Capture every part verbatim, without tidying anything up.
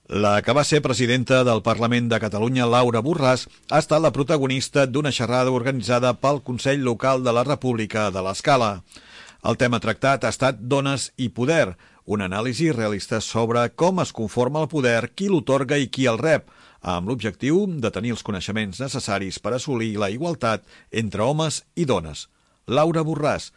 La que va ser presidenta del Parlament de Catalunya, Laura Borràs, ha estat la protagonista d'una xerrada organitzada pel Consell Local de la República de l'Escala. El tema tractat ha estat Dones i poder, una anàlisi realista sobre com es conforma el poder, qui l'otorga i qui el rep, amb l'objectiu de tenir els coneixements necessaris per assolir la igualtat entre homes i dones. Laura Borràs,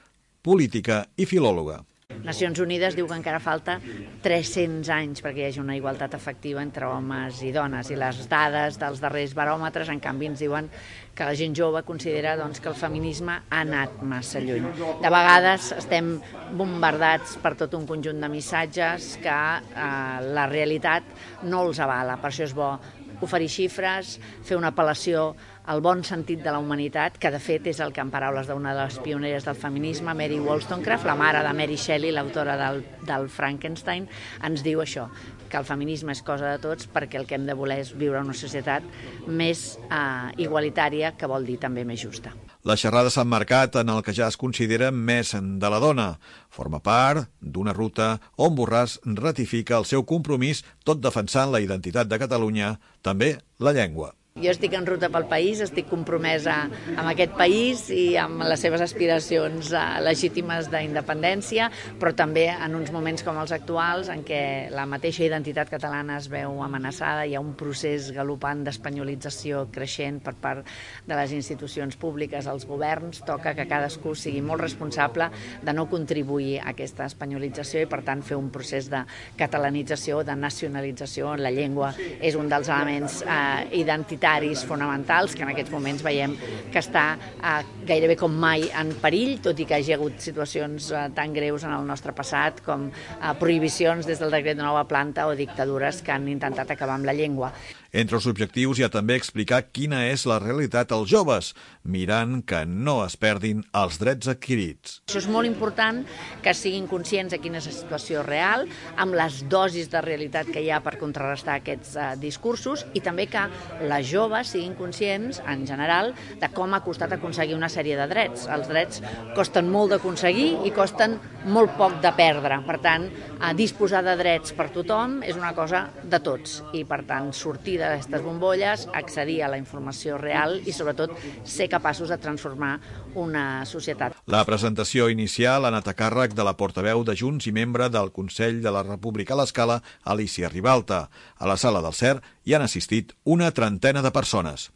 política i filòloga. Nacions Unides diu que encara falta tres-cents anys perquè hi hagi una igualtat efectiva entre homes i dones, i les dades dels darrers baròmetres, en canvi, ens diuen que la gent jove considera doncs, que el feminisme ha anat massa lluny. De vegades estem bombardats per tot un conjunt de missatges que eh, la realitat no els avala. Per això és bo oferir xifres, fer una apel·lació al bon sentit de la humanitat, que de fet és el que en paraules d'una de les pioneres del feminisme, Mary Wollstonecraft, la mare de Mary Shelley, l'autora del, del Frankenstein, ens diu això, que el feminisme és cosa de tots perquè el que hem de voler és viure en una societat més eh, igualitària, que vol dir també més justa. La xerrada s'ha emmarcat en el que ja es considera més de la dona. Forma part d'una ruta on Borràs ratifica el seu compromís, tot defensant la identitat de Catalunya, també la llengua. Jo estic en ruta pel país, estic compromesa amb aquest país i amb les seves aspiracions legítimes d'independència, però també en uns moments com els actuals, en què la mateixa identitat catalana es veu amenaçada, hi ha un procés galopant d'espanyolització creixent per part de les institucions públiques, els governs, toca que cadascú sigui molt responsable de no contribuir a aquesta espanyolització i, per tant, fer un procés de catalanització, de nacionalització. La llengua és un dels elements eh, identitaris fonamentals que en aquests moments veiem que està eh, gairebé com mai en perill, tot i que hi ha hagut situacions eh, tan greus en el nostre passat com eh, prohibicions des del decret de nova planta o dictadures que han intentat acabar amb la llengua. Entre els objectius hi ha també explicar quina és la realitat als joves, mirant que no es perdin els drets adquirits. Això és molt important, que siguin conscients de quina és la situació real, amb les dosis de realitat que hi ha per contrarrestar aquests eh, discursos, i també que les joves siguin conscients, en general, de com ha costat aconseguir una sèrie de drets. Els drets costen molt d'aconseguir i costen molt poc de perdre. Per tant, eh, disposar de drets per tothom és una cosa de tots, i per tant, sortir d'aquestes bombolles, accedir a la informació real i, sobretot, ser capaços de transformar una societat. La presentació inicial ha anat a càrrec de la portaveu de Junts i membre del Consell de la República a l'Escala, Alícia Ribalta. A la sala del C E R hi han assistit una trentena de persones.